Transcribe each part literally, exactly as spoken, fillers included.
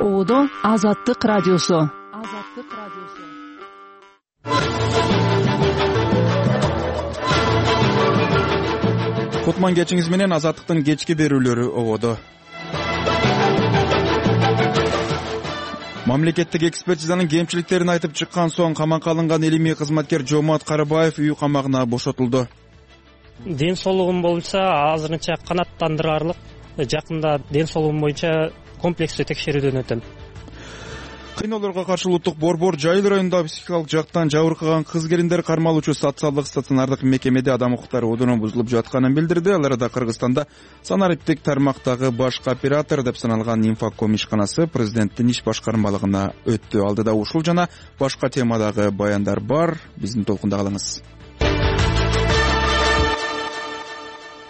Оодо Азаттык радиосу. Азаттык радиосу. Кутман кечиңиз менен Азаттыктын кечки берүүлөрү ободо. Мамлекеттик экспертизанын кемчиликтерин айтып чыккан соң камакка алынган илимий кызматкер Жомарт Карабаев үй камагына бошотулду. Ден соолугум боюнча азырынча канааттандырарлык. Жакында ден соолугум боюнча комплекстүү текшерүүдөн өтөм. Кыйноолорго каршы улуттук борбор Жайыл районунда психикалык жактан жабыркаган кыз келиндер кармалуучу социалдык стационардык мекемеде адам укуктары одуну бузулуп жатканын билдирди. Ал арада Кыргызстанда санариптик тармактагы башкы оператор деп саналган Инфоком ишканасы президенттин иш башкармалыгына өттү. Алдыда ушул жана башка темадагы баяндар бар. Биздин толкунда калыңыз.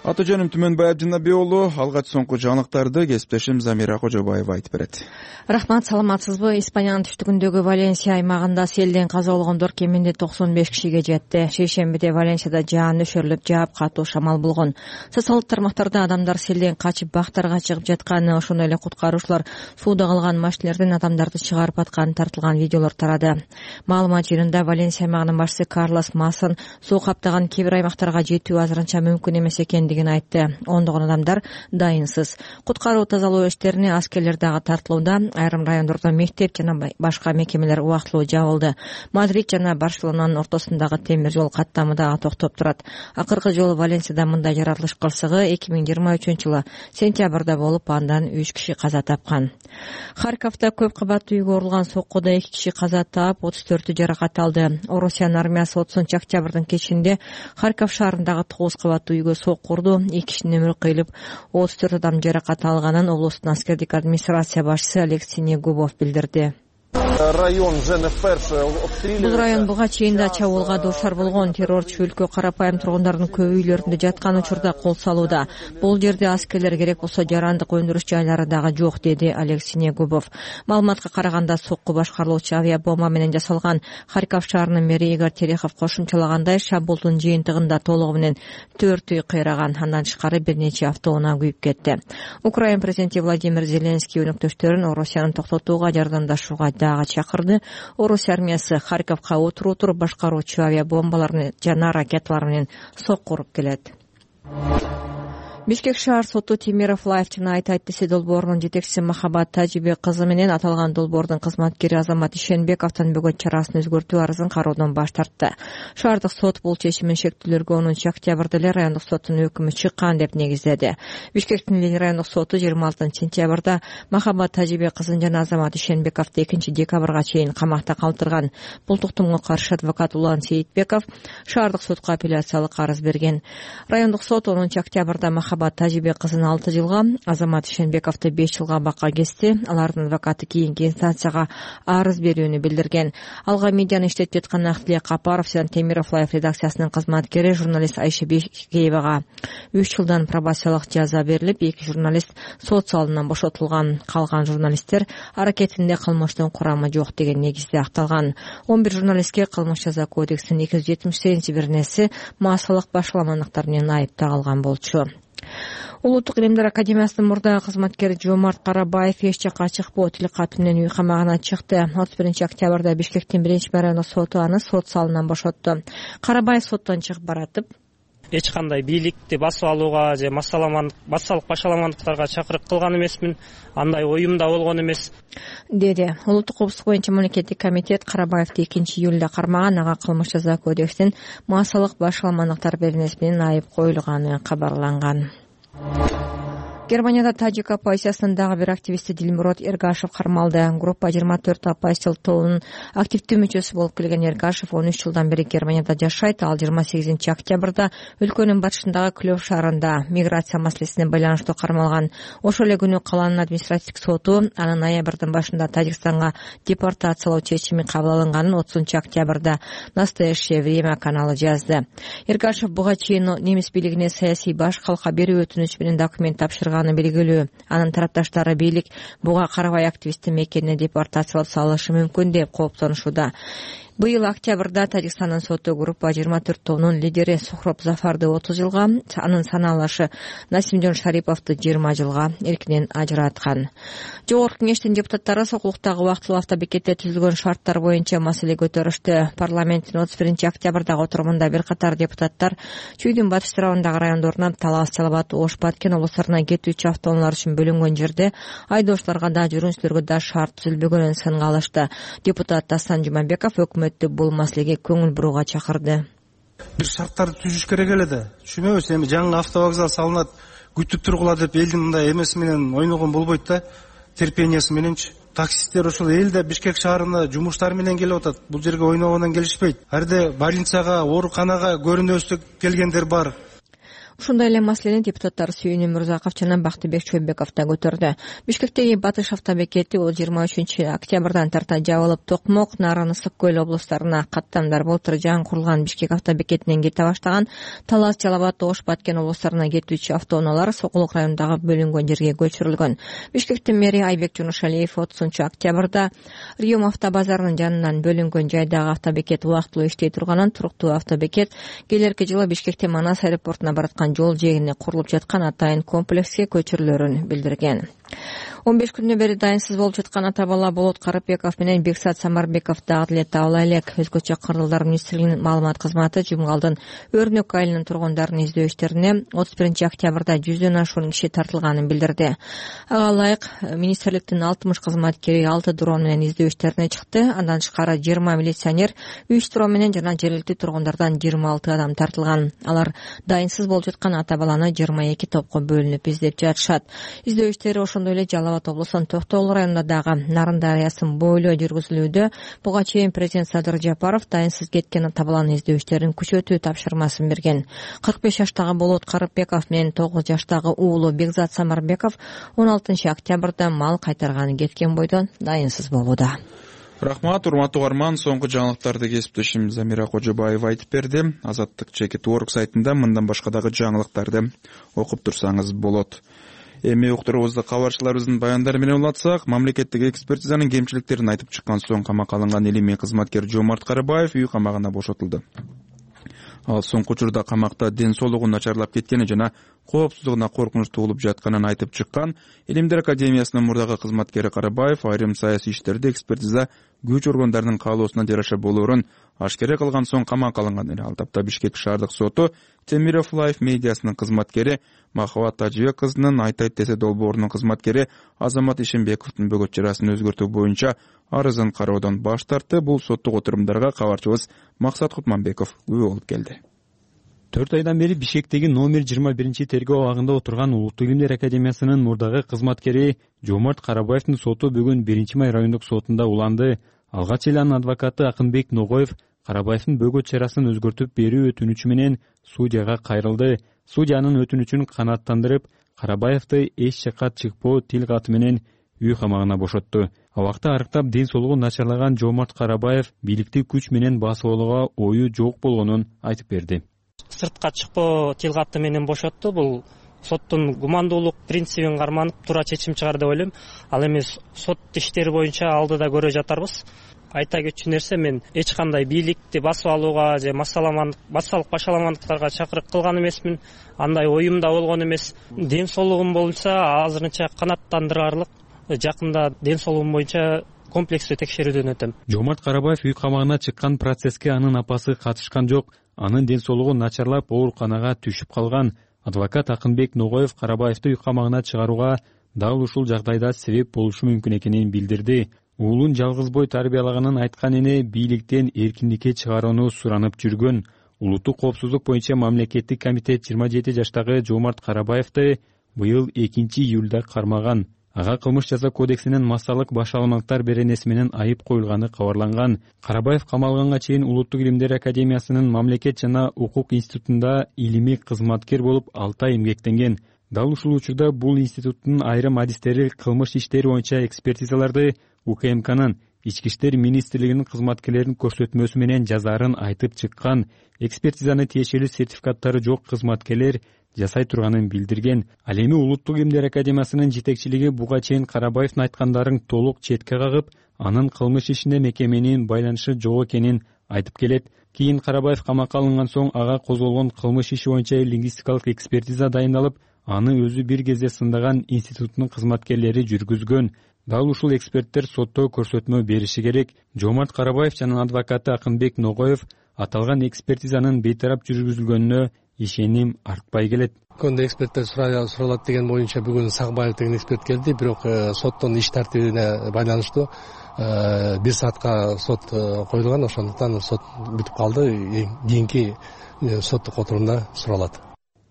Аты жөнүм Түмөнбай Абдинабек уулу. Алгач соңку жаңылыктарды кесиптешим Замира Кожобаева айтып берет. Рахмат, саламатсызбы? Испаниянын түштүгүндөгү Валенсия аймагында селден каза болгондор кеминде токсон беш кишиге жетти. Шейшембиде Валенсияда жаан өшөрүлүп, жаап катуу шамал болгон. Социалдык тармактарда адамдар селден качып бактарга чыгып жатканы, ошондой эле куткаруучулар сууда калган машинелерден адамдарды чыгарып атканы тартылган видеолор тарады. Маалымат жыйынында Валенсия аймагынын башчысы Карлос Масон суу каптаган кээ бир аймактарга жетүү азырынча мүмкүн эмес экенин айтты. Ондогон адамдар дайынсыз. Куткаруу тазалоо иштерине аскерлер дагы тартылууда. Айрым райондордо мектеп жана башка мекемелер убактылуу жабылды. Мадрид жана Барселонанын ортосундагы темир жол каттамы дагы токтоп турат. Акыркы жолу Валенсияда мындай жаратылыш кырсыгы эки миң жыйырма үчүнчү жылы сентябрда болуп, андан үч киши каза тапкан. Харьковдо көп кабаттуу үйгө урулган соккуда эки киши каза таап, отуз төртү жаракат алды. Орусиянын армиясы отузунчу октябрдын кечинде Харьков шаарындагы тогуз кабаттуу үйгө сокку урду. эки кишинин өмүрү кыйылып, отуз төрт адам жаракат алганын облустун аскердик администрация башчысы Алексей Негубов билдирди. Бул район буга чейин да чабуулга дуушар болгон. Террорчу өлкө карапайым тургундардын көп үйлөрүндө жаткан учурда кол салууда. Бул жерде аскерлер керек болсо жарандык өндүрүш жайлары дагы жок, деди Алексей Негубов. Маалыматка караганда сокку башкарылуучу авиабомба менен жасалган. Харьков шаарынын мэри Игорь Терехов кошумчалагандай, шабуылдун жыйынтыгында толугу менен төрт үй кыйраган. Андан тышкары бир нече автоунаа күйүп кетти. Украина президенти Владимир Зеленский өнөктөштөрүн Орусияны токтотууга жардамдашууга дагы чакырды. Орус армиясы Харьковго отуруп туруп башкаруучу авиабомбаларын жана ракеталар менен сокку уруп келет. Бишкек шаар соту Темиров Лайф жана Айтайт долбоорунун жетекчиси Махабат Тажибек кызы менен аталган долбоордун кызматкери Азамат Ишенбековдон бөгөт чарасын өзгөртүү арызын кароодон баш тартты. Шаардык сот бул чечимин шектүүлөргө онунчу октябрда эле райондук соттун өкүмү чыккан деп негиздеди. Бишкектин райондук соту жыйырма алтынчы сентябрда Махабат Тажибек кызын жана Азамат Ишенбековду экинчи декабрга чейин камакта калтырган. Бул туктумга каршы адвокат Улан Сейитбеков шаардык сотко апелляциялык арыз берген. Райондук сот онунчу октябрда Махабат Тажибек кызын алты жылга, Азамат Ишенбековду беш жылга бакка кести. Алардын адвокаты кийинки инстанцияга арыз берүүнү билдирген. Алга медианы иштетип жаткан Актилек Капаров жана Темиров Лайф редакциясынын кызматкери журналист Айша Бекеевага үч жылдан пробациялык жаза берилип, эки журналист сот залынан бошотулган. Калган журналисттер аракетинде кылмыштын курамы жок деген негизде акталган. он бир журналистке кылмыш жаза кодексинин эки жүз жетимиш сегизинчи беренеси массалык башаламандыктар менен айып тагылган болчу. Улуттук илимдер академиясынын мурдагы кызматкери Жомарт Карабаев эч жакка чыкпоо тил каты менен үй камагына чыкты. отуз биринчи октябрда Бишкектин биринчи райондук соту аны сот залынан бошотту. Карабаев соттон чыгып баратып, эч кандай бийликти басып алууга же массалык башаламандыктарга чакырык кылган эмесмин. Андай оюм да болгон эмес, деди. Улуттук коопсуздук боюнча мамлекеттик комитет Карабаевди экинчи июлда кармаган. Ага кылмыш жаза кодексинин массалык башаламандыктар беренеси менен айып коюлганы кабарланган. Германияда тажик оппозициясынын дагы бир активисти Дилмурод Эргашев кармалды. Группа жыйырма төрт оппозициялык тобунун активдүү мүчөсү болуп келген Эргашев он үч жылдан бери Германияда жашайт. Ал жыйырма сегизинчи октябрда өлкөнүн батышындагы Клёв шаарында миграция маселесине байланыштуу кармалган. Ошол эле күнү калаанын административдик соту анын ноябрдын башында Тажикстанга депортациялоо чечими кабыл алынганын отузунчу октябрда Настоящее время каналы жазды. Эргашев буга чейин немис бийлигине саясий баш калка берүү өтүнүч менен документ тапшырган белгилүү. Анын тарапташтары бийлик буга карабай активисти мекенине депортациялап салышы мүмкүн деп кооптонушууда. Быйыл октябрда Тажикстандын соту группа жыйырма төрт тобунун лидери Сухроб Зафарды отуз жылга, анын санаалашы Насимжон Шариповду жыйырма жылга эркинен ажыраткан. Жогорку кеңештин депутаттары сокулуктагы убактылуу автобекетте түзүлгөн шарттар боюнча маселе көтөрүштү. Парламенттин отуз биринчи октябрдагы отурумунда бир катар депутаттар Чүйдүн батыш тарабындагы райондорунан Талас, Жалал абад, Ош, Баткен облустарына кетүүчү автоунаалар үчүн бөлүнгөн жерде айдоочуларга да жүргүнчүлөргө да шарт түзүлбөгөнүн сынга алышты. Депутат Дастан Жумабеков өкмөттү бул маселеге көңүл бурууга чакырды. Бир шарттарды түзүш керек эле да. Түшүнөбүз, эми жаңы автовокзал салынат, күтүп тургула деп элдин мындай эмеси менен ойногон болбойт да. Терпениясы мененчи. Таксисттер ошол элде Бишкек шаарына жумуштар менен келип атат. Бул жерге ойногондон келишпейт. Арде больницага, ооруканага көрүнөбүз келгендер бар. Ушундай эле маселени депутаттар Сүйүнү Мурзаков жана Бактыбек Чойбеков да көтөрдү. Бишкектеги батыш автобекети жыйырма үчүнчү октябрдан тарта жабылып, Токмок, Нарын, Ысык көл облустарына каттамдар былтыр жаңы курулган Бишкек автобекетинен кете баштаган Талас, Жалал абад, Ош, Баткен облустарына кетүүчү автоунаалар Сокулук районундагы бөлүнгөн жерге көчүрүлгөн. Бишкектин мэри Айбек Жунушалиев отузунчу октябрда Риом автобазарынын жанынан бөлүнгөн жайдагы автобекет убактылуу иштей турганын, туруктуу автобекет келерки жылы Бишкектен Манас аэропортуна бараткан жол жээгине курулуп жаткан атайын комплекске көчүрүлөрүн билдирген. он беш күндөн бери дайынсыз болуп жаткан ата бала Болот Карыпбеков менен Бексат Самарбеков дагы деле табыла элек. Өзгөчө кырдалдар министрлигинин маалымат кызматы Жумгалдын Өрнөк айылынын тургундарын издөө иштерине отуз биринчи октябрда жүздөн ашуун киши тартылганын билдирди. Ага ылайык министрликтин алтымыш кызматкери алты дрон менен издөө иштерине чыкты. Андан тышкары жыйырма милиционер үч дрон менен жана жергиликтүү тургундардан жыйырма алты адам тартылган. Алар дайынсыз болуп жаткан ата баланы жыйырма эки топко бөлүнүп издеп жатышат. Издөө иштери ошондой эле Жалал абад облусунун Токтогул районунда дагы Нарын дарыясын бойлой жүргүзүлүүдө. Буга чейин президент Садыр Жапаров дайынсыз кеткен ата баланы издөө иштерин күчөтүү тапшырмасын берген. кырк беш жаштагы Болот Карыпбеков менен тогуз жаштагы уулу Бекзат Самарбеков он алтынчы октябрда мал кайтарганы кеткен бойдон дайынсыз болууда. Рахмат, урматтуу угарман. Соңку жаңылыктарды кесиптешим Замира Кожобаева айтып берди. Азаттык чекит точка орг сайтында мындан башка дагы жаңылыктарды окуп турсаңыз болот. Эми уктурубузду кабарчыларыбыздын баяндары менен улатсак, мамлекеттик экспертизанын кемчиликтерин айтып чыккан соң камакка алынган илимий кызматкер Жомарт Карабаев үй камагына бошотулду. Ал соңку учурда камакта ден соолугу начарлап кеткени жана коопсуздугуна коркунуч туулуп жатканын айтып чыккан Илимдер академиясынын мурдагы кызматкери Карабаев айрым саясий иштерди экспертиза күч органдарынын каалоосуна жараша болоорун ашкере кылган соң камакка алынган эле. Ал тапта Бишкек шаардык соту Темиров Лайф медиасынын кызматкери Махабат Тажибек кызынын Айтайт десе долбоорунун кызматкери Азамат Ишенбековдун бөгөт чарасын өзгөртүү боюнча арызын кароодон баш тартты. Бул соттук отурумдарга кабарчыбыз Максат Кутманбеков күбө болуп келди. төрт айдан бери Бишкектеги номер жыйырма биринчи тергөө абагында отурган Улуттук Илимдер академиясынын мурдагы кызматкери Жомарт Карабаевдин соту бүгүн биринчи май райондук сотунда уланды. Алгач эле анын адвокаты Акынбек Ногоев Карабаевдин бөгөт чарасын өзгөртүп берүү өтүнүчү менен судьяга кайрылды. Судья анын өтүнүчүн канааттандырып, Карабаевди эч жакка чыкпоо тил каты менен үй камагына бошотту. Абакта арыктап ден соолугу начарлаган Жомарт Карабаев бийликти күч менен басып алууга ою жок болгонун айтып берди. Сыртка чыкпоо тил каты менен бошотту. Бул соттун гумандуулук принцибин карманып туура чечим чыгар деп ойлойм. Ал эми сот иштери боюнча алдыда көрө жатарбыз. Айта кетчү нерсе, мен эч кандай бийликти басып алууга же массалык башаламандыктарга чакырык кылган эмесмин. Андай оюм да болгон эмес. Ден соолугум боюнча азырынча канааттандырарлык. Жакында ден соолугум боюнча комплекстүү текшерүүдөн өтөм. Жомарт Карабаев үй камагына чыккан процесске анын апасы катышкан жок. Анын ден соолугу начарлап ооруканага түшүп калган. Адвокат Акынбек Ногоев Карабаевди үй камагына чыгарууга дал ушул жагдайда себеп болушу мүмкүн экенин билдирди. Уулун жалгыз бой тарбиялаганын айткан эне бийликтен эркиндикке чыгарууну суранып жүргөн. Улуттук коопсуздук боюнча мамлекеттик комитет жыйырма жети жаштагы Жомарт Карабаевди быйыл экинчи июлда кармаган. Ага кылмыш жаза кодексинин массалык башаламандыктар беренеси менен айып коюлганы кабарланган. Карабаев камалганга чейин Улуттук Илимдер академиясынын мамлекет жана укук институтунда илимий кызматкер болуп алты ай эмгектенген. Дал ушул учурда бул институттун айрым адистери кылмыш иштери боюнча экспертизаларды У К М Кнын Ички иштер министрлигинин кызматкерлеринин көрсөтмөсү менен жазаарын айтып чыккан. Экспертизаны тиешелүү сертификаттары жок кызматкерлер жасай турганын билдирген. Ал эми Улуттук Илимдер академиясынын жетекчилиги буга чейин Карабаевдин айткандарын толук четке кагып, анын кылмыш ишине мекеменин байланышы жок экенин айтып келет. Кийин Карабаев камакка алынган соң ага козголгон кылмыш иши боюнча лингвистикалык экспертиза дайындалып, аны өзү бир кезде сындаган институттун кызматкерлери жүргүзгөн. Дал ушул эксперттер сотто көрсөтмө бериши керек. Жомарт Карабаев жана адвокаты Акынбек Ногоев аталган экспертизанын бейтарап жүргүзүлгөнүнө ишеним артпай келет. Көндө эксперттер суралат деген боюнча бүгүн Сагбаев деген эксперт келди, бирок соттун иш тартибине байланыштуу бир саатка сот коюлган, ошондуктан сот бүтүп калды. Кийинки соттук отурумда суралат,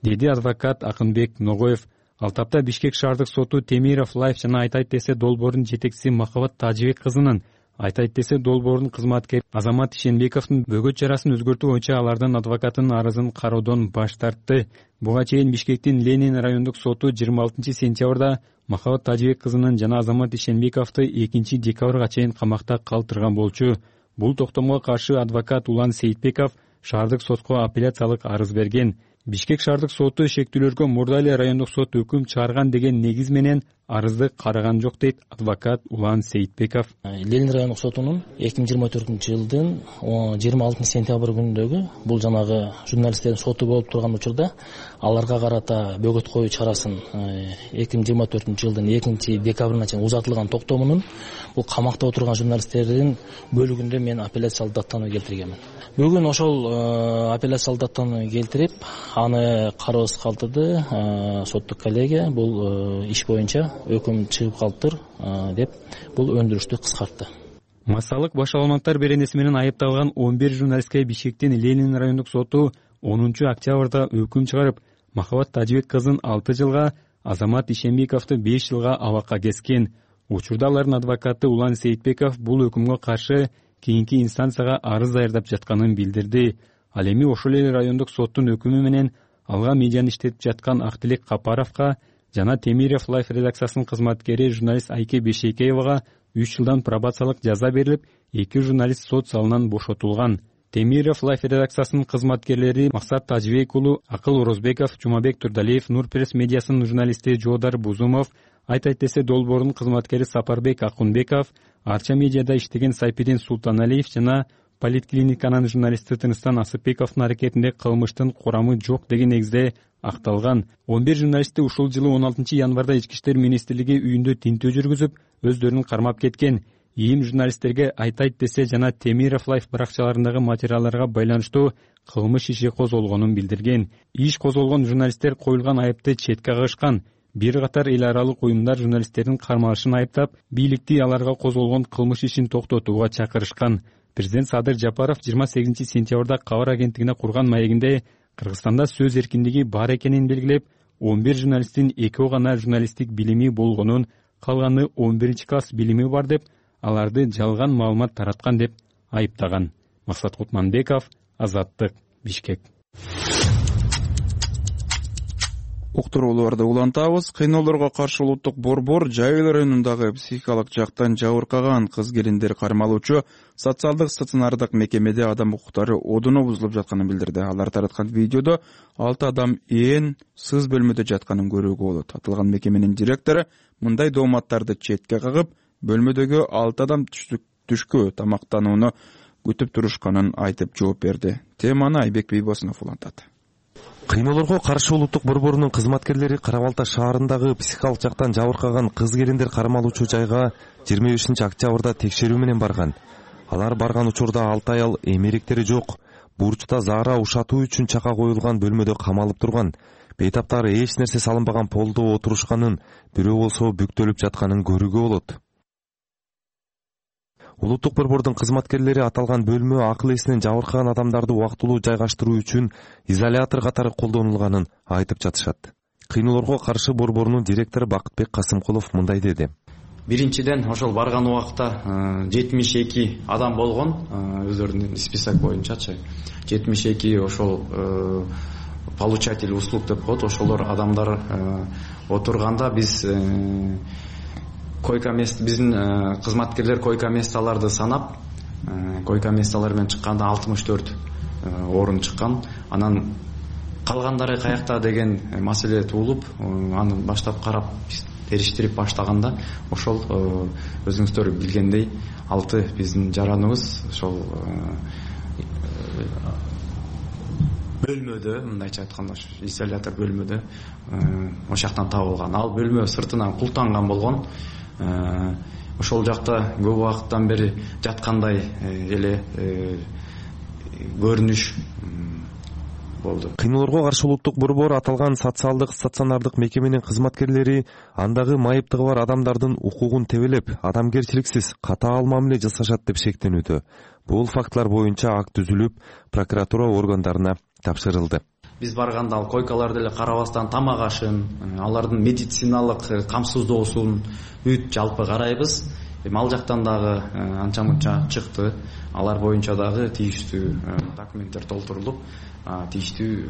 деди адвокат Акынбек Ногоев. Ал тапта Бишкек шаардык соту Темиров Лайф жана Айтайт десе долбоордун жетекчиси Махабат Тажибек кызынын, Айтайт десе долбоордун кызматкери Азамат Ишенбековдун бөгөт чарасын өзгөртүү боюнча алардын адвокатынын арызын кароодон баш тартты. Буга чейин Бишкектин Ленин райондук соту жыйырма алтынчы сентябрда Махабат Тажибек кызынын жана Азамат Ишенбековду экинчи декабрга чейин камакта калтырган болчу. Бул токтомго каршы адвокат Улан Сейитбеков шаардык сотко апелляциялык арыз берген. Бишкек шаардык соту шектүүлөргө мурда эле райондук сот өкүм чыгарган деген негиз менен арызды караган жок, дейт адвокат Улан Сейитбеков. Ленин райондук сотунун эки миң жыйырма төртүнчү жылдын жыйырма алтынчы сентябрь күнүндөгү бул жанагы журналисттердин соту болуп турган учурда аларга карата бөгөт коюу чарасын эки миң жыйырма төртүнчү жылдын экинчи декабрына чейин узатылган токтомунун бул камакта отурган журналисттердин бөлүгүндө мен апелляциялык даттануу келтиргенмин. Бүгүн ошол апелляциялык даттануу келтирип, аны кароосуз калтырды. Соттук коллегия бул иш боюнча өкүм чыгып калыптыр деп бул өндүрүштү кыскартты. Массалык баш маалыматтар беренеси менен айыпталган он бир журналистке Бишкектин Ленин райондук соту онунчу октябрда өкүм чыгарып, Махабат Тажибек кызын алты жылга, Азамат Ишенбековду беш жылга абакка кескен. Учурда алардын адвокаты Улан Сейитбеков бул өкүмгө каршы кийинки инстанцияга арыз даярдап жатканын билдирди. Ал эми ошол эле райондук соттун өкүмү менен алга медианы иштетип жаткан Актилек Капаровго жана Темиров Лайф редакциясынын кызматкери журналист Айке Бешекеевага үч жылдан пробациялык жаза берилип, эки журналист сот залынан бошотулган. Темиров Лайф редакциясынын кызматкерлери Максат Тажибек уулу, Акыл Орозбеков, Жумабек Турдалиев, Нурпресс медиасынын журналисти Жоодар Бузумов, Айтайт десе долбоордун кызматкери Сапарбек Акунбеков, Арча медиада иштеген Сайпидин Султаналиев жана Политклиниканын журналисти Тыныстан Асыпбековдун аракетинде кылмыштын курамы жок деген негизде акталган. он бир журналисти ушул жылы он алтынчы январда Ички иштер министрлиги үйүндө тинтөө жүргүзүп, өздөрүн кармап кеткен. Ийим журналисттерге Айтайт десе жана Темиров Лайф баракчаларындагы материалдарга байланыштуу кылмыш иши козголгонун билдирген. Иш козголгон журналисттер коюлган айыпты четке кагышкан. Бир катар эл аралык уюмдар журналисттердин кармалышын айыптап, бийликти аларга козголгон кылмыш ишин токтотууга чакырышкан. Президент Садыр Жапаров жыйырма сегизинчи сентябрда кабар агенттигине курган маегинде Кыргызстанда сөз эркиндиги бар экенин белгилеп, он бир журналисттин экөө гана журналисттик билими болгонун, калганы он биринчи класс билими бар деп, аларды жалган маалымат тараткан деп айыптаган. Максат Кутманбеков, Азаттык, Бишкек. Уктурууларды улантабыз. Кыйноолорго каршы улуттук борбор Жайыл районундагы психикалык жактан жабыркаган кыз-келиндер кармалуучу социалдык стационардык мекемеде адам укуктары одуну бузулуп жатканын билдирди. Алар тараткан видеодо алты адам ээн сыз бөлмөдө жатканын көрүүгө болот. Аталган мекеменин директору мындай дооматтарды четке кагып, бөлмөдөгү алты адам түшкү тамактанууну күтүп турушканын айтып жооп берди. Теманы Айбек Бейбосунов улантат. Кыйноолорго каршы улуттук борборунун кызматкерлери Кара Балта шаарындагы психикалык жактан жабыркаган кыз-келиндер кармалуучу жайга жыйырма бешинчи октябрда текшерүү менен барган. Алар барган учурда алты аял эмеректери жок, бурчта заара ушатуу үчүн чака коюлган бөлмөдө камалып турган. Бейтаптары эч нерсе салынбаган полдо отурушканын, бирөө болсо бүктөлүп жатканын көрүүгө болот. Улуттук борбордун кызматкерлери аталган бөлмө акыл эсинен жабыркаган адамдарды убактылуу жайгаштыруу үчүн изолятор катары колдонулганын айтып жатышат. Кыйноолорго каршы борборунун директору Бакытбек Касымкулов мындай деди. Биринчиден ошол барган убакта жетимиш эки адам болгон, өздөрүнүн список боюнчачы. жетимиш эки ошол получатель услуг деп коет, ошолор адамдар отурганда биз койка мест, биздин кызматкерлер койка месталарды санап, койка месталар менен чыкканда алтымыш төрт орун чыккан. Анан калгандары каякта деген маселе туулуп, аны баштап карап териштирип баштаганда ошол өзүңүздөр билгендей алты биздин жараныбыз ошол бөлмөдө, мындайча айтканда изолятор бөлмөдө ошол жактан табылган. Ал бөлмө сыртынан култанган болгон. Ошол жакта көп убакыттан бери жаткандай эле көрүнүш болду. Кыйноолорго каршы улуттук борбор аталган социалдык стационардык мекеменин кызматкерлери андагы майыптыгы бар адамдардын укугун тебелеп, адамгерчиликсиз катаал мамиле жасашат деп шектенүүдө. Бул фактылар боюнча акт түзүлүп, прокуратура органдарына тапшырылды. Биз барганда ал койкаларды эле карабастан тамак ашын, алардын медициналык камсыздоосун бүт жалпы карайбыз. Эми ал жактан дагы анча мынча чыкты. Алар боюнча дагы тийиштүү документтер толтурулуп, тийиштүү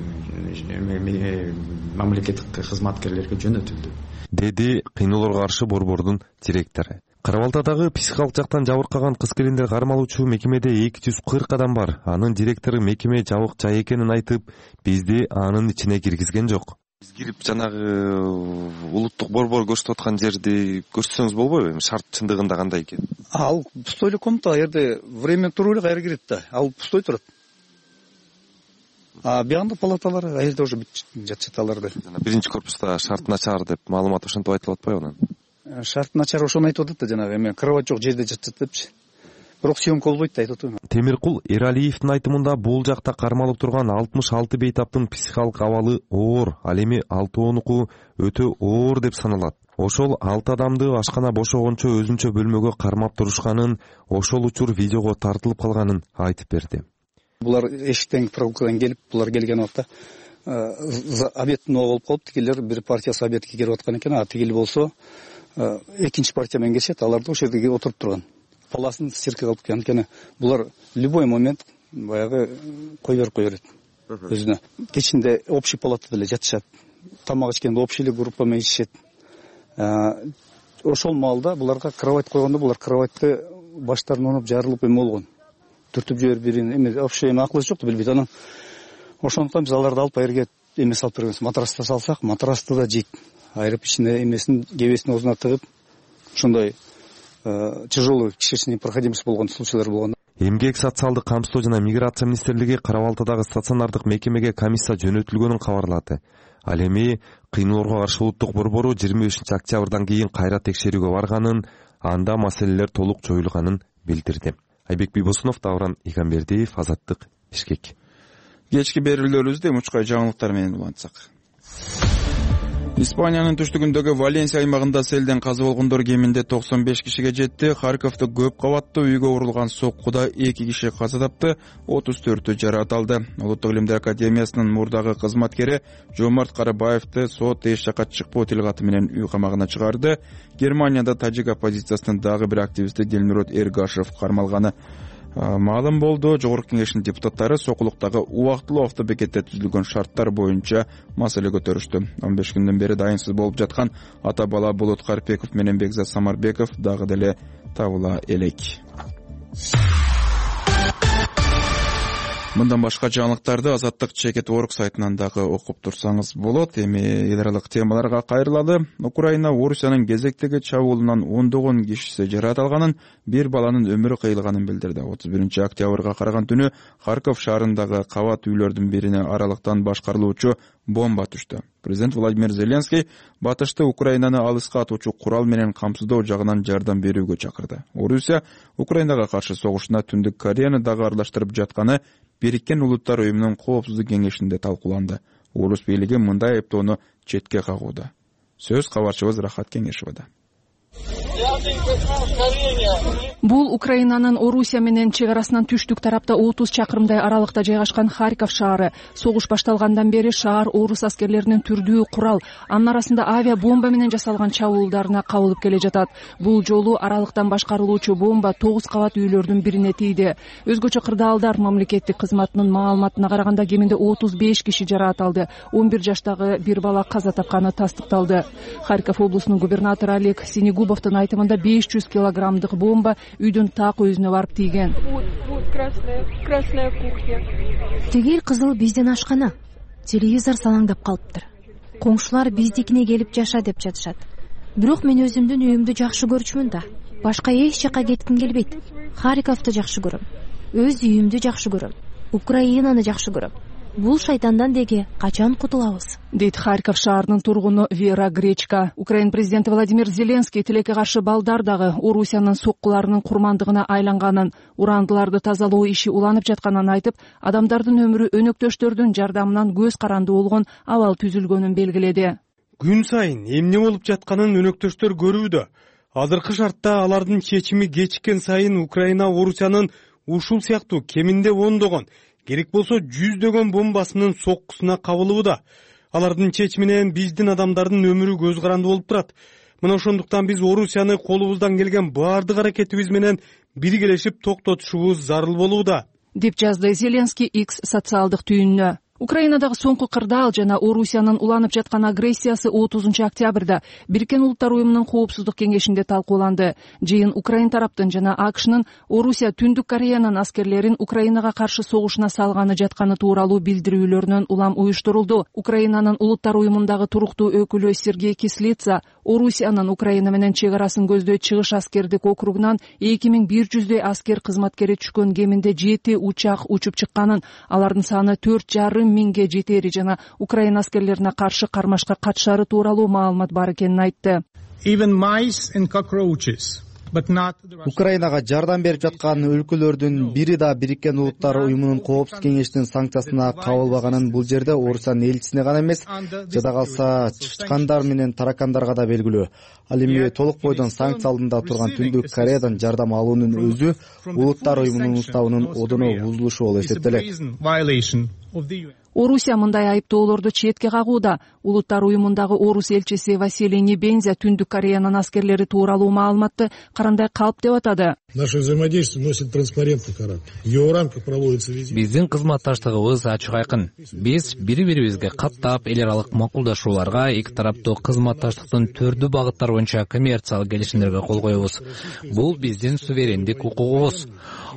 мамлекеттик кызматкерлерге жөнөтүлдү, деди Кыйноолорго каршы борбордун директору. Кара Балтадагы психикалык жактан жабыркаган кыз-келиндер кармалуучу мекемеде эки жүз кырк адам бар. Анын директору мекеме жабык жай экенин айтып, бизди анын ичине киргизген жок. Биз кирип жанагы улуттук борбор көрсөтүп аткан жерди көрсөтсөңүз болбойбу? Эми шарт чындыгында кандай экен? Ал пустой эле комната, ал жерде время туруп эле кайра кирет да. Ал пустой турат. А бияңда палаталар, ал жерде уже жатышат аларда. Биринчи корпуста шарт начар деп маалымат ошентип айтылып атпайбы анан? Шарт начар ошону айтып атат да, жанагы эме кровать жок жерде жатышат депчи. Бирок съемка болбойт да айтып атам. Темиркул Эралиевдин айтымында бул жакта кармалып турган алтымыш алты бейтаптын психикалык абалы оор, ал эми алтоонуку өтө оор деп саналат. Ошол алты адамды ашкана бошогончо өзүнчө бөлмөгө кармап турушканын, ошол учур видеого тартылып калганын айтып берди. Булар эшиктен прогулкадан келип, булар келген убакта обедтин оого болуп калып, тигилер бир партиясы обедке келип аткан экен, а тигил болсо экинчи партия менен келишет, алар да ошол жерде отуруп турган. Паласын сирке калып кеткен. Анткени булар любой момент баягы кой берип кой берет өзүнө. Кечинде общий палатада эле жатышат. Тамак ичкенде общий эле группа менен ичишет. Ошол маалда буларга кровать койгондо булар кроватьты баштарын онуп жарылып эме болгон. Түртүп жиберип бирин эме вообще эме акылы жокту билбейт. Анан ошондуктан биз аларды алып айырга эме салып бергенбиз. Матраста салсак, матрасты да жейт. Айрып ичине эмесин кебесин оозуна тыгып, ошондой тяжелый кишечный непроходимость болгон случайлар болгон. Эмгек социалдык камсыздоо жана миграция министрлиги Кара Балтадагы стационардык мекемеге комиссия жөнөтүлгөнүн кабарлады. Ал эми Кыйноолорго каршы улуттук борбору жыйырма бешинчи октябрдан кийин кайра текшерүүгө барганын, анда маселелер толук жоюлганын билдирди. Айбек Бибосунов, Давран Игамбердиев, Азаттык, Бишкек. Кечки берүүлөрүбүздү мучкай жаңылыктар менен улантсак. Испаниянын түштүгүндөгү Валенсия аймагында селден каза болгондор кеминде токсон беш кишиге жетти. Харьковдо көп кабаттуу үйгө урулган соккуда эки киши каза тапты, отуз төртү жаракат алды. Улуттук илимдер академиясынын мурдагы кызматкери Жомарт Карабаевди сот эч жакка чыкпоо тилкаты менен үй камагына чыгарды. Германияда тажик оппозициясынын дагы бир активисти Дилмурод Эргашев кармалганы маалым болду. Жогорку кеңештин депутаттары сокулуктагы убактылуу автобекетте түзүлгөн шарттар боюнча маселе көтөрүштү. он беш күндөн бери дайынсыз болуп жаткан ата бала Болот Карпеков менен Бекзат Самарбеков дагы деле табыла элек. Мындан башка жаңылыктарды Азаттык Чекет орг сайтынан дагы окуп турсаңыз болот. Эми эл аралык темаларга кайрылалы. Украина Орусиянын кезектеги чабуулунан ондогон кишиси жаракат алганын, бир баланын өмүрү кыйылганын билдирди. отуз биринчи октябрга караган түнү Харьков шаарындагы кабат үйлөрдүн бирине аралыктан башкарылуучу бомба түштү. Президент Владимир Зеленский батышты Украинаны алыска атуучу курал менен камсыздоо жагынан жардам берүүгө чакырды. Орусия Украинага каршы согушуна Түндүк Кореяны дагы аралаштырып жатканы Бириккен Улуттар уюмунун коопсуздук кеңешинде талкууланды. Орус бийлиги мындай айыптоону четке кагууда. Сөз кабарчыбыз Рахат Кеңешевада. Бул Украинанын Орусия менен чек арасынан түштүк тарапта отуз чакырымдай аралыкта жайгашкан Харьков шаары. Согуш башталгандан бери шаар орус аскерлеринин түрдүү курал, анын арасында авиа бомба менен жасалган чабуулдарына кабылып келе жатат. Бул жолу аралыктан башкарылуучу бомба тогуз кабат үйлөрдүн бирине тийди. Өзгөчө кырдаалдар мамлекеттик кызматынын маалыматына караганда кеминде отуз беш киши жаракат алды. он бир жаштагы бир бала каза тапканы тастыкталды. Харьков облусунун губернатору Олег Синегубовдун айтымында беш жүз килограммдык бомба үйдүн так өзүнө барып тийген. Тигил кызыл биздин ашкана. Телевизор салаңдап калыптыр. Коңшулар биздикине келип жаша деп жатышат. бирок мен өзүмдүн үйүмдү жакшы көрчүмүн да. Башка эч жака кетким келбейт. Харьковду жакшы көрөм. Өз үйүмдү жакшы көрөм. Украинаны жакшы көрөм. Бул шайтандан деги качан кутулабыз? Дейт Харьков шаарынын тургуну Вера Гречка. Украин президенти Владимир Зеленский тилекке каршы балдар дагы Орусиянын соккуларынын курмандыгына айланганын, урандыларды тазалоо иши уланып жатканын айтып, адамдардын өмүрү өнөктөштөрдүн жардамынан көз каранды болгон абал түзүлгөнүн белгиледи. Күн сайын эмне болуп жатканын өнөктөштөр көрүүдө. Азыркы шартта алардын чечими кечиккен сайын Украина Орусиянын ушул сыяктуу кеминде ондогон, керек болсо жүздөгөн бомбасынын соккусуна кабылууда. Алардын чечиминен биздин адамдардын өмүрү көз каранды болуп турат. Мына ошондуктан биз Орусияны колубуздан келген баардык аракетибиз менен биргелешип токтотушубуз зарыл болууда, деп жазды Зеленский X социалдык түйүнүнө. Украинадагы соңку кырдаал жана Орусиянын уланып жаткан агрессиясы отузунчу октябрда Бириккен Улуттар уюмунун коопсуздук кеңешинде талкууланды. Жыйын Украин тараптын жана АКШнын Орусия Түндүк Кореянын аскерлерин Украинага каршы согушуна салганы жатканы тууралуу билдирүүлөрүнөн улам уюштурулду. Украинанын Улуттар уюмундагы туруктуу өкүлү Сергей Кислица Орусиянын Украина менен чек арасын көздөй чыгыш аскердик округунан эки миң бир жүздөй аскер кызматкери түшкөн кеминде жети учак учуп чыкканын, алардын саны төрт жарым миңге жетери жана Украина аскерлерине каршы кармашка катышары тууралуу маалымат бар экенин айтты. Украинага жардам берип жаткан өлкөлөрдүн бири да Бириккен Улуттар уюмунун коопсуз кеңешинин санкциясына кабылбаганын бул жерде Орусиянын элчисине гана эмес, жада калса чычкандар менен таракандарга да белгилүү. Ал эми толук бойдон санкция алдында турган Түндүк Кореядан жардам алуунун өзү Улуттар уюмунун уставынын одоно бузулушу болуп эсептелет. Орусия мындай айыптоолорду четке кагууда. Улуттар уюмундагы орус элчиси Василий Небензя Түндүк Кореянын аскерлери тууралуу маалыматты карандай калп деп атады. Наше взаимодействие носит транспарентный характер. В его рамках проводится визит. Биздин кызматташтыгыбыз ачык айкын. Биз бири-бирибизге каттап эл аралык макулдашууларга, эки тараптуу кызматташтыктын төрдүү багыттар боюнча коммерциялык келишимдерге кол коебуз. Бул биздин суверендик укугубуз.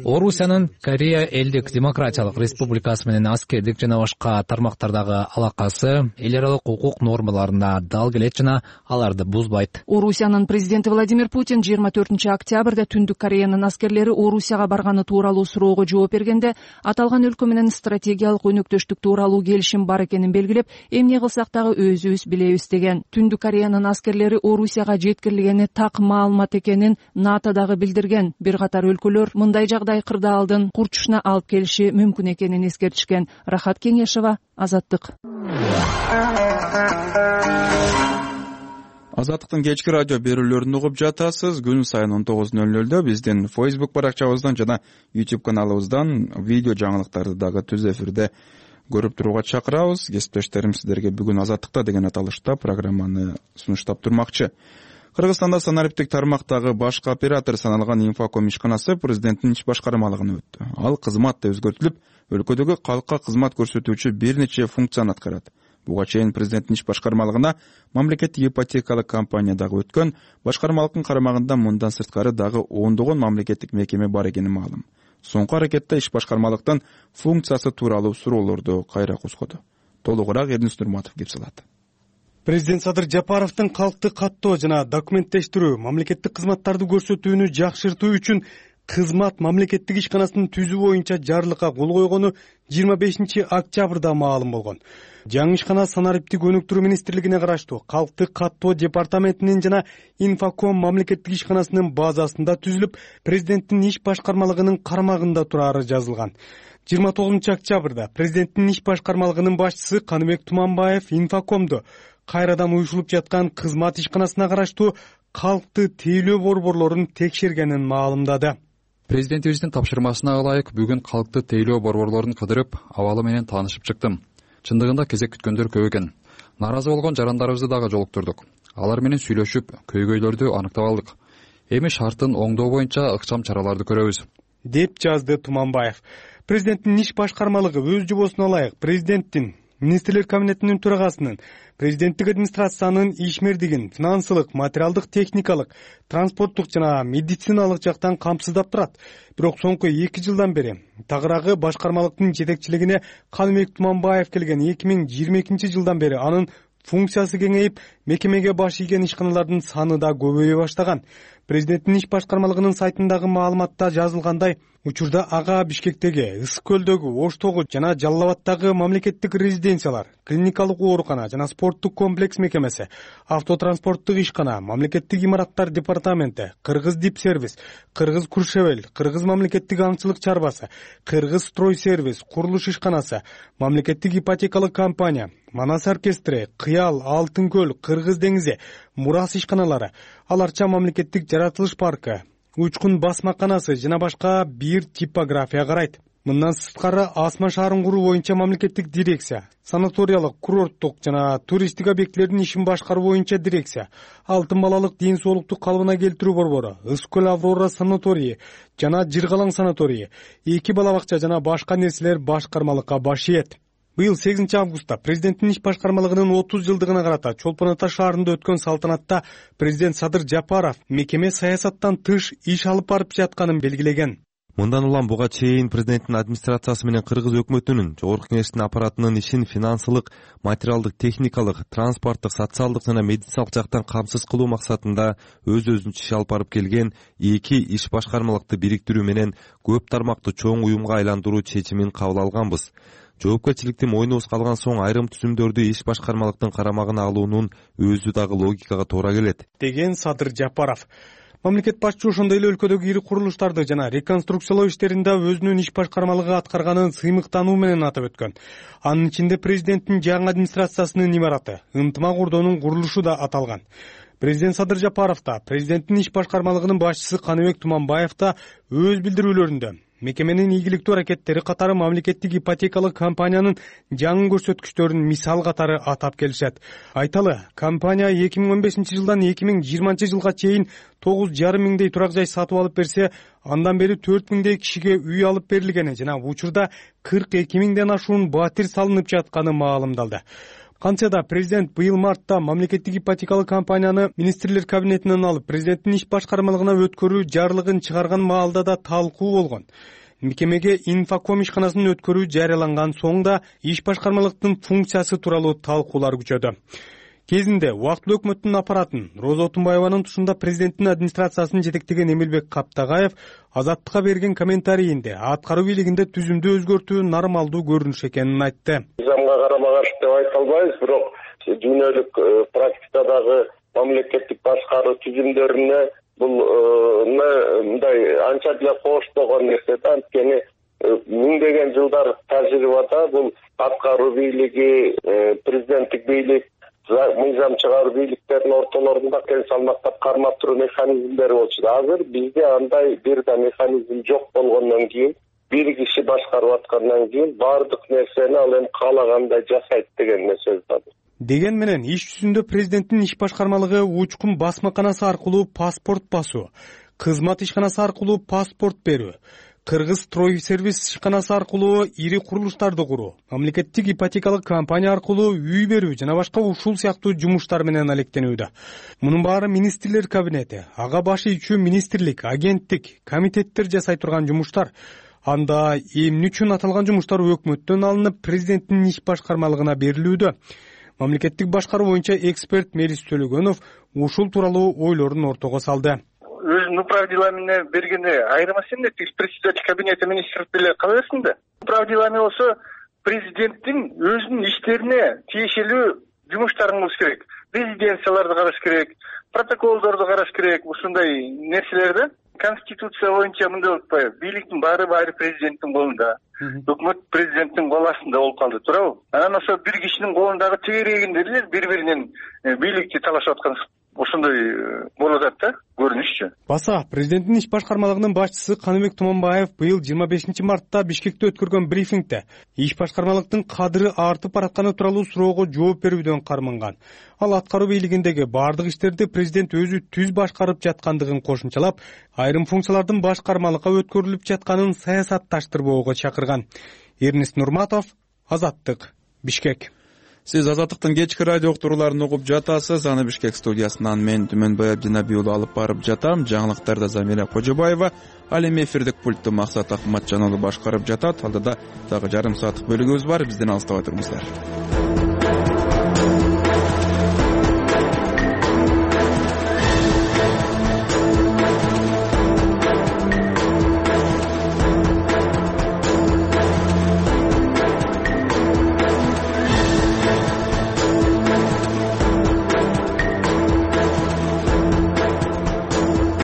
Орусиянын Корея элдик демократиялык республикасы менен аскердик жана башка тармактардагы алакасы эл аралык укук нормаларына дал келет жана аларды бузбайт. Орусиянын президенти Владимир Путин жыйырма төртүнчү октябрда Түндүк Кореянын аскерлери Орусияга барганы тууралуу суроого жооп бергенде, аталган өлкө менен стратегиялык өнөктөштүк тууралуу келишим бар экенин белгилеп, эмне кылсак дагы өзүбүз билебиз деген. Түндүк Кореянын аскерлери Орусияга жеткирилгени так маалымат экенин НАТО дагы билдирген. Бир катар өлкөлөр мындай жагдай кырдаалдын курчушуна алып келиши мүмкүн экенин эскертишкен. Рахат Кеңешова, Азаттык. Азаттыктын кечки радио берүүлөрүн угуп жатасыз. Күн сайын он тогуз ноль нолдо биздин Facebook баракчабыздан жана YouTube каналыбыздан видео жаңылыктарды дагы түз эфирде көрүп турууга чакырабыз. Кесиптештерим сиздерге бүгүн Азаттыкта деген аталышта программаны сунуштап турмакчы. Кыргызстанда санариптик тармактагы башкы оператор саналган Инфоком ишканасы президенттин иш башкармалыгына өттү. Ал кызмат да өзгөртүлүп, өлкөдөгү калкка кызмат көрсөтүүчү бир нече функцияны аткарат. Буга чейин президенттин иш башкармалыгына мамлекеттик ипотекалык компания дагы өткөн, башкармалыктын карамагында мындан сырткары дагы ондогон мамлекеттик мекеме бар экени маалым. Соңку аракетте иш башкармалыктын функциясы тууралуу суроолорду кайра козгоду. Толугураак Эрдинс Нурматов кеп салат. Президент Садыр Жапаровдун калкты каттоо жана документтештирүү, мамлекеттик кызматтарды көрсөтүүнү жакшыртуу үчүн кызмат мамлекеттик ишканасынын түзүү боюнча жарлыкка кол койгону жыйырма бешинчи октябрда маалым болгон. Жаңы ишкана санариптик өнүктүрүү министрлигине караштуу калкты каттоо департаментинин жана Инфоком мамлекеттик ишканасынын базасында түзүлүп, президенттин иш башкармалыгынын карамагында турары жазылган. жыйырма тогузунчу октябрда президенттин иш башкармалыгынын башчысы Каныбек Туманбаев Инфокомду кайрадан уюшулуп жаткан кызмат ишканасына караштуу калкты тейлөө борборлорун текшергенин маалымдады. Президентибиздин тапшырмасына ылайык бүгүн калкты тейлөө борборлорун кыдырып, абалы менен таанышып чыктым. Чындыгында кезек күткөндөр көп экен. Наразы болгон жарандарыбызды дагы жолуктурдук. Алар менен сүйлөшүп, көйгөйлөрдү аныктап алдык. Эми шарттын оңдоо боюнча ыкчам чараларды көрөбүз, деп жазды Туманбаев. Президенттин иш башкармалыгы өз жобосуна ылайык президенттин, министрлер кабинетинин төрагасынын, президенттик администрациянын ишмердигин финансылык, материалдык, техникалык, транспорттук жана медициналык жактан камсыздап турат. Бирок соңку эки жылдан бери тагыраагы башкармалыктын жетекчилигине Каныбек Туманбаев келген эки миң жыйырма экинчи жылдан бери анын функциясы кеңейип, мекемеге баш ийген ишканалардын саны да көбөйө баштаган. Президенттин иш башкармалыгынын сайтындагы маалыматта жазылгандай, учурда ага Бишкектеги, Ысык көлдөгү, Оштогу жана Жалал Абадтагы мамлекеттик резиденциялар, клиникалык оорукана жана спорттук комплекс мекемеси, автотранспорттук ишкана, мамлекеттик имараттар департаменти, Кыргыз Дипсервис, Кыргыз Куршевел, Кыргыз мамлекеттик аңчылык чарбасы, Кыргыз Стройсервис, курулуш ишканасы, мамлекеттик ипотекалык компания, Манас оркестри, Кыял, Алтын көл, Кыргыз деңизи, Мурас ишканалары, аларча мамлекеттик жаратылыш паркы, Учкун басмаканасы жана башка бир типография карайт. Мындан сырткары Асман шаарын куруу боюнча мамлекеттик дирекция, санаториялык, курорттук жана туристтик объектилердин ишин башкаруу боюнча дирекция, Алтын балалык ден соолукту калыбына келтирүү борбору, Ысык көл Аврора санаторийи жана Жыргалаң санаторийи, эки бала бакча жана башка нерселер башкармалыкка баш ийет. Быйыл сегизинчи августта президенттин иш башкармалыгынын отуз жылдыгына карата Чолпон Ата шаарында өткөн салтанатта президент Садыр Жапаров мекеме саясаттан тыш иш алып барып жатканын белгилеген. Мындан улам буга чейин президенттин администрациясы менен Кыргыз өкмөтүнүн жогорку кеңештин аппаратынын ишин финансылык, материалдык, техникалык, транспорттук, социалдык жана медициналык жактан камсыз кылуу максатында өз-өзүнчө иш алып барып келген эки иш башкармалыкты бириктирүү менен көп тармактуу чоң уюмга айландыруу чечимин кабыл алганбыз. Жоопкерчиликти мойнубузга алган соң айрым түзүмдөрдү иш башкармалыктын карамагына алуунун өзү дагы логикага туура келет, деген Садыр Жапаров. Мамлекет башчысы ошондой эле өлкөдөгү ири курулуштарды жана реконструкциялоо иштеринде өзүнүн иш башкармалыгы аткарганын сыймыктануу менен атап өткөн. Анын ичинде президенттин жаңы администрациясынын имараты, ынтымак ордонун курулушу да аталган. Президент Садыр Жапаров да, президенттин иш башкармалыгынын башчысы Каныбек Туманбаев да өз билдирүүлөрүндө мекеменин ийгиликтүү аракеттери катары мамлекеттик ипотекалык компаниянын жаңы көрсөткүчтөрүн мисал катары атап келишет. Айталы, компания эки миң он бешинчи жылдан эки миң жыйырманчы жылга чейин тогуз жарым миңдей турак жай сатып алып берсе, андан бери төрт миңдей кишиге үй алып берилгени жана учурда кырк эки миңден ашуун батир салынып жатканы маалымдалды. Кантсе да президент быйыл мартта мамлекеттик ипотекалык компанияны министрлер кабинетинен алып президенттин иш башкармалыгына өткөрүү жарлыгын чыгарган маалда да талкуу болгон. Мекемеге инфоком ишканасын өткөрүү жарыяланган соң да иш башкармалыктын функциясы тууралуу талкуулар күчөдү. Кезинде убактылуу өкмөттүн аппаратын Роза Отунбаеванын тушунда президенттин администрациясын жетектеген Эмилбек Каптагаев Азаттыкка берген комментарийинде аткаруу бийлигинде түзүмдү өзгөртүү нормалдуу көрүнүш экенин айтты. Мыйзамга карама каршы деп айта албайбыз, бирок дүйнөлүк практикадагы мамлекеттик башкаруу түзүмдөрүнө бул мындай анча деле коштогон нерсе да. Анткени миңдеген жылдар тажрыйбада бул аткаруу бийлиги, президенттик бийлик, мыйзам чыгаруу бийликтердин ортолорунда тең салмактап кармап туруу механизмдери болчу. Азыр бизде андай бир да механизм жок болгондон кийин, бир киши башкарып аткандан кийин баардык нерсени ал эми каалагандай жасайт деген сөз бар. Деген менен иш жүзүндө президенттин иш башкармалыгы Учкун басмаканасы аркылуу паспорт басуу, кызмат ишканасы аркылуу паспорт берүү, Кыргыз Стройсервис ишканасы аркылуу ири курулуштарды куруу, мамлекеттик ипотекалык компания аркылуу үй берүү жана башка ушул сыяктуу жумуштар менен алектенүүдө. Мунун баары министрлер кабинети, ага баш ийчү министрлик, агенттик, комитеттер жасай турган жумуштар. Анда эмне үчүн аталган жумуштар өкмөттөн алынып президенттин иш башкармалыгына берилүүдө? Мамлекеттик башкаруу боюнча эксперт Мелис Төлөгөнов ушул тууралуу ойлорун ортого салды. Өзүнүн управ делами бергенде айрым эмес эмне председатель кабинета министров деле кала берсин да. Управ делами болсо президенттин өзүнүн иштерине тиешелүү жумуштарын кылыш керек. Резиденцияларды караш керек, протоколдорду караш керек, ушундай нерселерди. Конституция боюнча мындай болуп атпайбы? Бийликтин баары баары президенттин колунда. Өкмөт президенттин кол астында болуп калды, туурабы? Анан ошо бир кишинин колундагы тегерегинде эле бири-биринен бийликти талашып аткан ошондой болуп атат да, көрүнүшчү. Баса президенттин иш башкармалыгынын башчысы Каныбек Туманбаев быйыл жыйырма бешинчи мартта Бишкекте өткөргөн брифингде иш башкармалыктын кадыры артып баратканы тууралуу суроого жооп берүүдөн карманган. Ал аткаруу бийлигиндеги баардык иштерди президент өзү түз башкарып жаткандыгын кошумчалап, айрым функциялардын башкармалыкка өткөрүлүп жатканын саясатташтырбоого чакырган. Эрнест Нурматов, Азаттык, Бишкек. Сиз Азаттыктын кечки радио уктурууларын угуп жатасыз. Аны Бишкек студиясынан мен Түмөнбай Абдинабий уулу алып барып жатам. Жаңылыктарда Замира Кожобаева, ал эми эфирдик пультту Максат Акматжан уулу башкарып жатат. Алдыда дагы жарым сааттык бөлүгүбүз бар. Бизден алыстабай туруңуздар.